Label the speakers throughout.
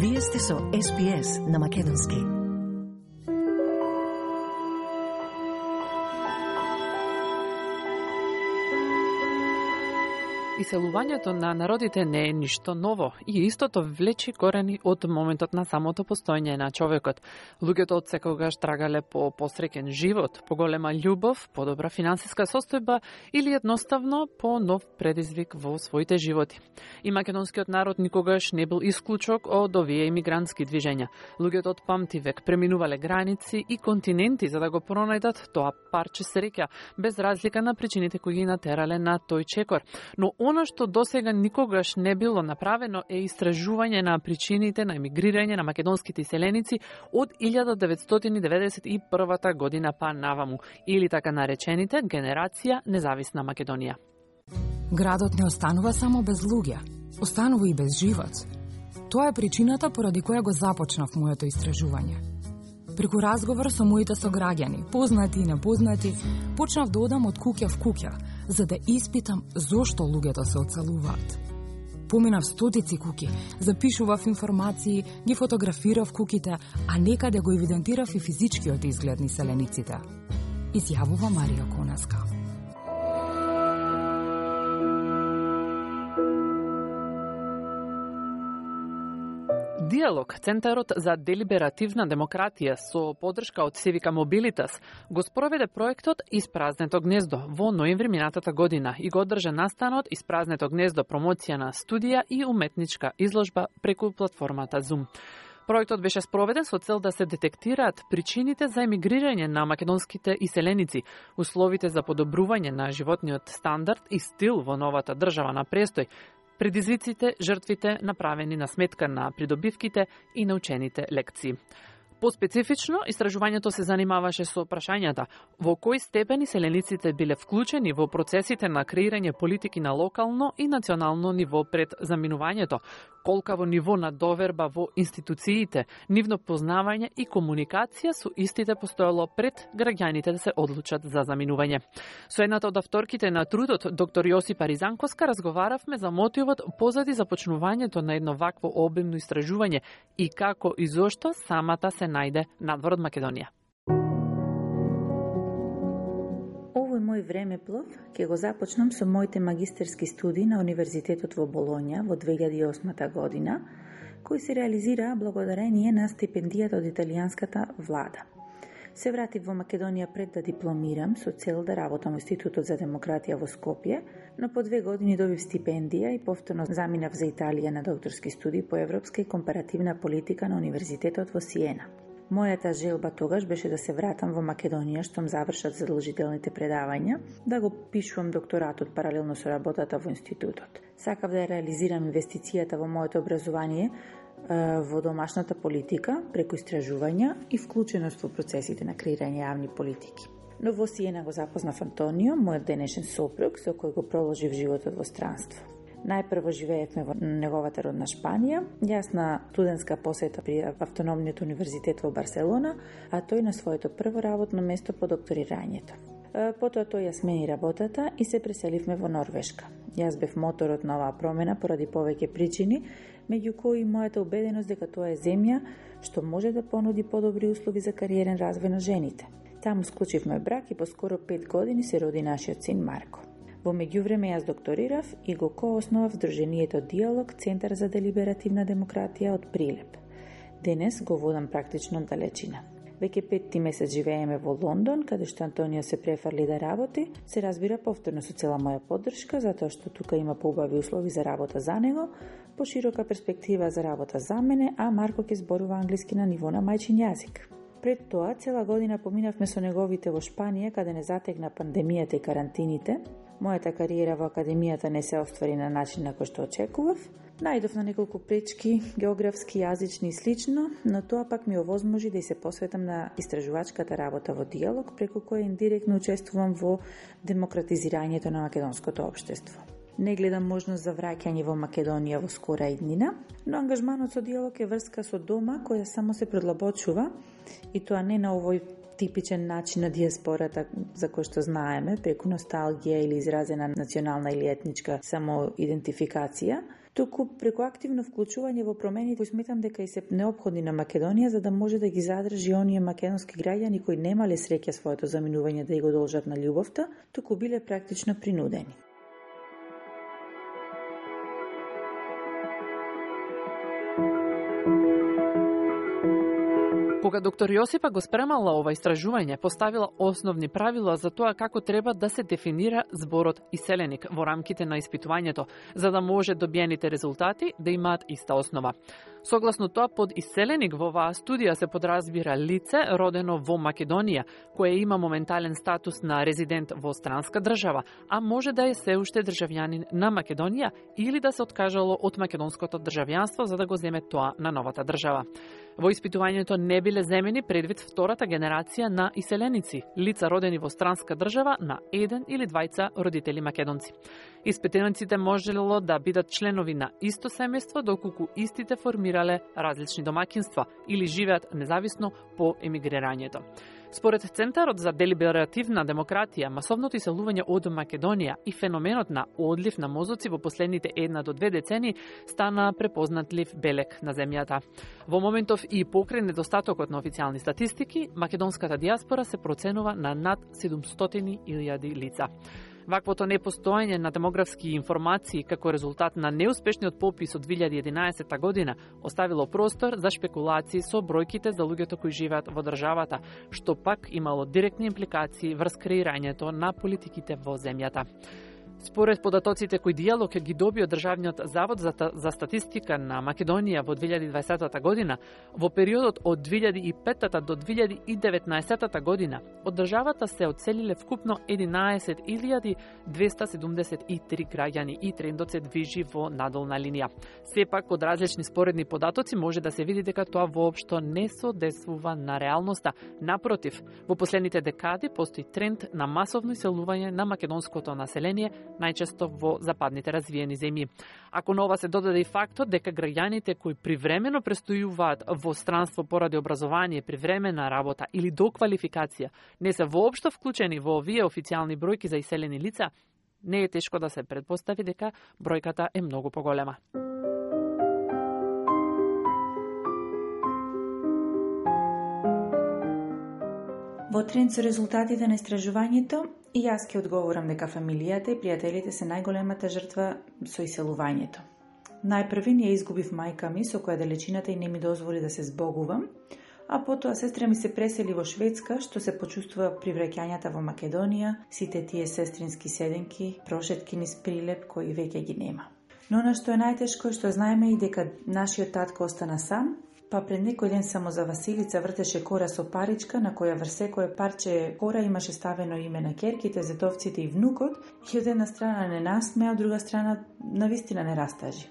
Speaker 1: Вие сте со SPS на Македонски.
Speaker 2: Иселувањето на народите не е ништо ново и истото влечи корени од моментот на самото постоење на човекот. Луѓето од секогаш трагале по посреќен живот, по голема љубов, подобра финансиска состојба или едноставно по нов предизвик во своите животи. И македонскиот народ никогаш не бил исклучок од овие имигрантски движења. Луѓето од памтивек преминувале граници и континенти за да го пронајдат тоа парче среќа, без разлика на причините кои ги натерале на тој чекор. Но она што досега никогаш не било направено е истражување на причините на емигрирање на македонските иселеници од 1991 година па наваму, или така наречените генерација независна Македонија.
Speaker 3: Градот не останува само без луѓе, останува и без живот. Тоа е причината поради која го започнав моето истражување. Преку разговор со моите сограѓани, познати и непознати, почнав да одам од куќа в куќа, за да испитам зошто луѓето се одселуваат. Поминав стотици куќи, запишував информации, ги фотографирав куќите, а некаде го евидентирав и физичкиот изглед на селениците. Изјавува Марија Конеска.
Speaker 2: Диалог, Центарот за делиберативна демократија со поддршка од Civica Mobilitas го спроведе проектот Испразнето гнездо во ноември минатата година и го одржа настанот Испразнето гнездо промоција на студија и уметничка изложба преку платформата Zoom. Проектот беше спроведен со цел да се детектираат причините за емигрирање на македонските иселеници, условите за подобрување на животниот стандард и стил во новата држава на престој, предизвиците, жртвите направени на сметка на придобивките и научените лекции. Поспецифично, истражувањето се занимаваше со прашањата во кој степен иселениците биле вклучени во процесите на креирање политики на локално и национално ниво пред заминувањето, колкаво ниво на доверба во институциите, нивно познавање и комуникација со истите постоело пред граѓаните да се одлучат за заминување. Со едната од авторките на трудот, доктор Јосипа Ризанковска, разговаравме за мотивот позади започнувањето на едно вакво обемно истражување и како и зошто самата се најде надвор од Македонија.
Speaker 4: Овој мој времеплов ќе го започнам со моите магистерски студии на Универзитетот во Болоња во 2008 година, кои се реализираа благодарение на стипендијата од италијанската влада. Се вратив во Македонија пред да дипломирам со цел да работам во Институтот за демократија во Скопје, но по 2 години добив стипендија и повторно заминав за Италија на докторски студии по европска и компаративна политика на Универзитетот во Сиена. Мојата желба тогаш беше да се вратам во Македонија штом завршат задолжителните предавања, да го пишувам докторатот паралелно со работата во институтот. Сакав да реализирам инвестицијата во моето образование во домашната политика, преку истражувања и вклученост во процесите на креирање јавни политики. Но во Сиена го запознав Антонио, мојот денешен сопруг, со кој го проложив животот во странство. Најпрво живеевме во неговата родна Шпанија, јас на студентска посета при Автономниот универзитет во Барселона, а тој на своето прво работно место по докторирањето. Потоа тој ја смени работата и се преселивме во Норвешка. Јас бев моторот на оваа промена поради повеќе причини, меѓу кои мојата убеденост дека тоа е земја што може да понуди подобри услови за кариерен развој на жените. Таму склучивме брак и по скоро 5 години се роди нашиот син Марко. Во меѓувреме јас докторирав и го коосновав Сдруженијето Диалог, Центар за делиберативна демократија од Прилеп. Денес го водам практично од далечина. Веќе 5 месец живееме во Лондон, каде што Антонио се префрли да работи, се разбира повторно со цела моја поддршка, затоа што тука има поубави услови за работа за него, поширока перспектива за работа за мене, а Марко ќе зборува англиски на ниво на мајчин јазик. Пред тоа, цела година поминавме со неговите во Шпанија, каде не затегна пандемијата и карантините. Мојата кариера во академијата не се оствари на начин на кој што очекував. Најдов на неколку пречки, географски, јазични и слично, но тоа пак ми овозможи да и се посветам на истражувачката работа во Диалог, преку која индиректно учествувам во демократизирањето на македонското општество. Не гледам можност за враќање во Македонија во скора иднина, но ангажманот со Диалог е врска со дома која само се предлабочува и тоа не на овој типичен начин на диаспората за кој што знаеме, преку носталгија или изразена национална или етничка самоидентификација, туку преку активно вклучување во промени кои сметам дека и се неопходни на Македонија за да може да ги задржи оние македонски граѓани кои немале среќа своето заминување да ја го должат на љубовта, туку биле практично принудени.
Speaker 2: Кога доктор Јосипа го спремала ова истражување, поставила основни правила за тоа како треба да се дефинира зборот иселеник во рамките на испитувањето, за да може добиените резултати да имаат иста основа. Согласно тоа, под иселеник во оваа студија се подразбира лице родено во Македонија, кое има моментален статус на резидент во странска држава, а може да е се уште државјанин на Македонија или да се откажало од македонското државјанство за да го земе тоа на новата држава. Во испитувањето не биле земени предвид втората генерација на иселеници, лица родени во странска држава на еден или двајца родители македонци. Испитаниците можело да бидат членови на исто семејство, доколку истите формирале различни домакинства или живеат независно по емигрирањето. Според Центарот за делиберативна демократија, масовното иселување од Македонија и феноменот на одлив на мозоци во последните 1 до 2 децении стана препознатлив белег на земјата. Во моментов и покрај недостатокот на официјални статистики, македонската диаспора се проценува на над 700.000 лица. Ваквото непостоење на демографски информации како резултат на неуспешниот попис од 2011 година оставило простор за шпекулации со бројките за луѓето кои живеат во државата, што пак имало директни импликации врз креирањето на политиките во земјата. Според податоците кои Диалог ги доби од Државниот завод за статистика на Македонија во 2020 година, во периодот од 2005 до 2019 година, од државата се одселиле вкупно 11.273 граѓани и трендот се движи во надолна линија. Сепак, од различни споредни податоци може да се види дека тоа воопшто не соодветствува на реалноста. Напротив, во последните декади постои тренд на масовно иселување на македонското население, најчесто во западните развиени земји. Ако на ова се додаде и фактот дека граѓаните кои привремено престојуваат во странство поради образование, привремена работа или доквалификација не се воопшто вклучени во овие официјални бројки за иселени лица, не е тешко да се претпостави дека бројката е многу поголема.
Speaker 4: Во тренд со резултатите на истражувањето, и јас ќе одговорам дека фамилијата и пријателите се најголемата жртва со иселувањето. Најпрви ние изгубив мајка ми, со која далечината и не ми дозволи да се збогувам, а потоа сестра ми се пресели во Шведска, што се почувствува при враќањата во Македонија, сите тие сестрински седенки, прошетки низ прилеп кои веќе ги нема. Но она што е најтешко е што знаеме и дека нашиот татко остана сам, па пред некој ден само за Василица вртеше кора со паричка на која врз секое парче кора имаше ставено име на ќерките, зетовците и внукот, и од една страна не насмеа, од друга страна навистина не растажи.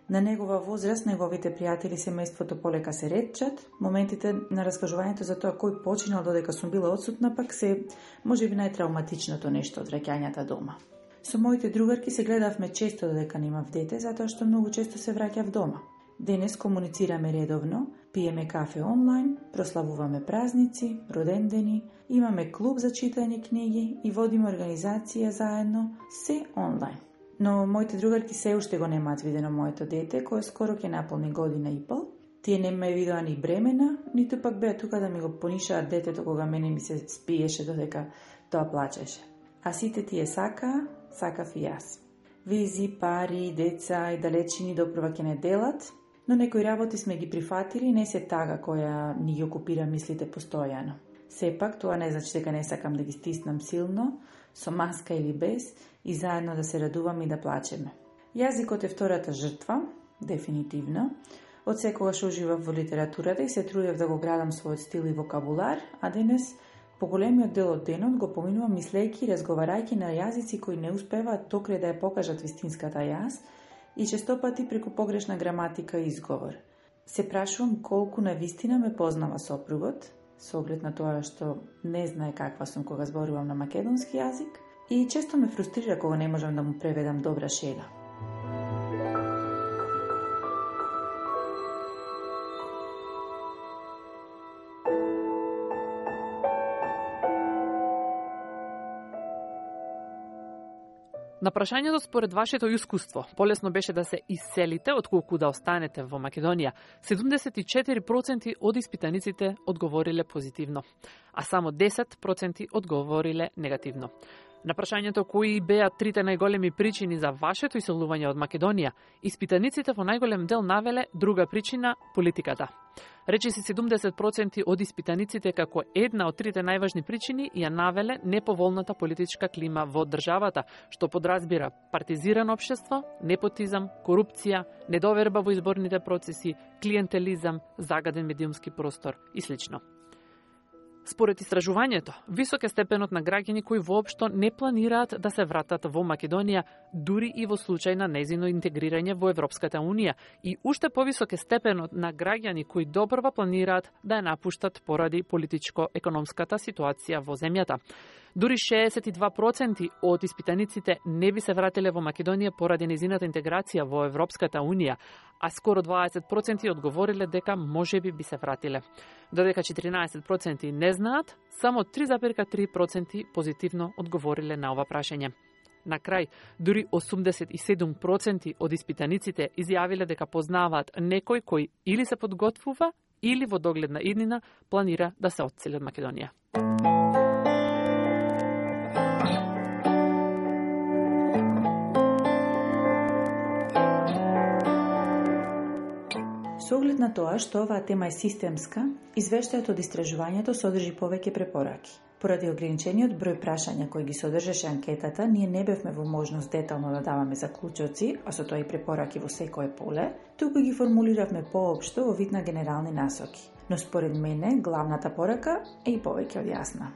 Speaker 4: На негова возраст, неговите пријатели семејството полека се ретчат, моментите на раскажувањето за тоа кој починал додека сум била одсутна пак се можеби најтравматичното нешто од враќањата дома. Со моите другарки се гледавме често додека немав дете, затоа што многу често се враќав дома. Денес комуницираме редовно, пиеме кафе онлайн, прославуваме празници, родендени, имаме клуб за читање книги и водиме организација заедно, се онлайн. Но моите другарки се уште го немаат видено моето дете, кое скоро ќе наполни година и пол. Тие не ме видоа ни бремена, ниту пак беа тука да ми го понишаат детето кога мене ми се спиеше додека тоа плачеше. А сите тие сакав и јас. Визи, пари, деца и далечини допрва ќе не делат, но некои работи сме ги прифатили и не се тага која ни ги окупира мислите постојано. Сепак, тоа не значи дека не сакам да ги стиснам силно, со маска или без, и заедно да се радуваме и да плачеме. Јазикот е втората жртва, дефинитивно. Од секогаш уживав во литературата и се трудев да го градам својот стил и вокабулар, а денес поголемиот дел од денот го поминувам мислејќи и разговарајќи на јазици кои не успеваат токрај да ја покажат вистинската јас и честопати преку погрешна граматика и изговор. Се прашувам колку на вистина ме познава сопругот, со оглед на тоа што не знае каква сум кога зборувам на македонски јазик, и често ме фрустрира кога не можам да му преведам добра шега.
Speaker 2: На прашањето според вашето искуство, полесно беше да се иселите отколку да останете во Македонија, 74% од испитаниците одговориле позитивно, а само 10% одговориле негативно. На прашањето кои беа трите најголеми причини за вашето иселување од Македонија, испитаниците во најголем дел навеле друга причина – политиката. Речиси 70% од испитаниците како една од трите најважни причини ја навеле неповолната политичка клима во државата, што подразбира партизирано општество, непотизам, корупција, недоверба во изборните процеси, клиентелизам, загаден медиумски простор и слично. Според истражувањето, висок е степенот на граѓани кои воопшто не планираат да се вратат во Македонија, дури и во случај на нејзино интегрирање во Европската Унија, и уште повисок е степенот на граѓани кои добрва планираат да ја напуштат поради политичко-економската ситуација во земјата. Дури 62% од испитаниците не би се вратиле во Македонија поради нејзината интеграција во Европската Унија, а скоро 20% одговориле дека можеби би се вратиле. Додека 14% не знаат, само 3,3% позитивно одговориле на ова прашање. На крај, дури 87% од испитаниците изјавиле дека познаваат некој кој или се подготвува, или во догледна иднина планира да се одсели од Македонија.
Speaker 4: Со оглед на тоа што оваа тема е системска, извештајот од истражувањето содржи повеќе препораки. Поради ограничениот број прашања кои ги содржеше анкетата, ние не бевме во можност детално да даваме заклучоци, а со тоа и препораки во секое поле, туку ги формулиравме поопшто во вид на генерални насоки. Но според мене, главната порака е и повеќе од јасна.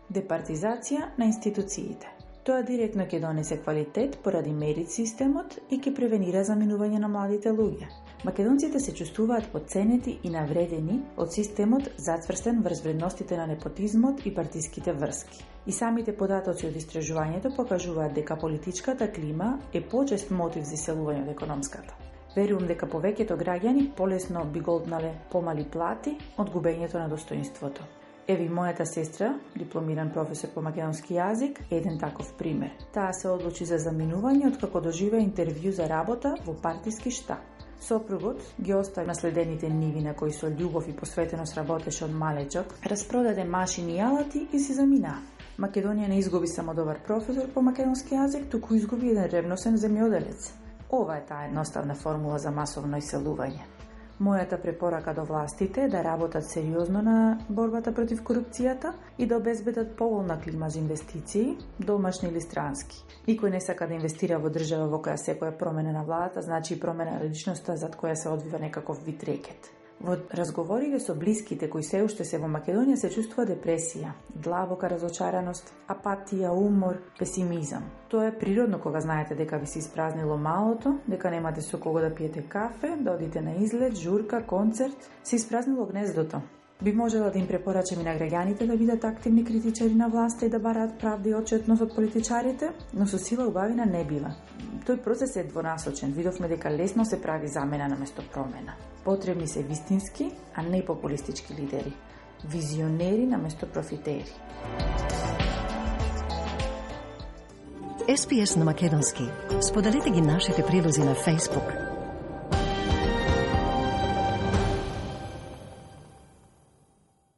Speaker 4: Департизација на институциите. Тоа директно ќе донесе квалитет поради мерит системот и ќе превенира заминување на младите луѓе. Македонците се чувствуваат потценети и навредени од системот зацврстен врз вредностите на непотизмот и партиските врски. И самите податоци од истражувањето покажуваат дека политичката клима е почест мотив за иселување од економската. Верувам дека повеќето граѓани полесно би голтнале помали плати од губењето на достоинството. Еви мојата сестра, дипломиран професор по македонски јазик, е еден таков пример. Таа се одлучи за заминување откако доживеа интервју за работа во партиски штаб. Сопругот ги остави наследените ниви на кои со љубов и посветеност работеше од малечок, распродаде машини и алати и се замина. Македонија не изгуби само добар професор по македонски јазик, туку изгуби еден ревносен земјоделец. Ова е таа едноставна формула за масовно иселување. Мојата препорака до властите е да работат сериозно на борбата против корупцијата и да обезбедат поволна клима за инвестиции, домашни или странски. Никој не сака да инвестира во држава во која секоја промена на владата значи и промена на личноста зад која се одвива некаков вид рекет. Во разговорите со блиските кои се уште се во Македонија се чувствува депресија, длабока разочараност, апатија, умор, песимизам. Тоа е природно кога знаете дека ви се испразнило малото, дека немате со кого да пиете кафе, да одите на излет, журка, концерт, се испразнило гнездото. Би можела да им препорачам и на граѓаните да бидат активни критичари на власта и да бараат правда и отчетност од политичарите, но со сила убавина не бива. Тој процес е двонасочен. Видовме дека лесно се прави замена наместо промена. Потребни се вистински, а не популистички лидери. Визионери наместо профитери.
Speaker 1: SPS на македонски. Споделете ги нашите прилози на Facebook.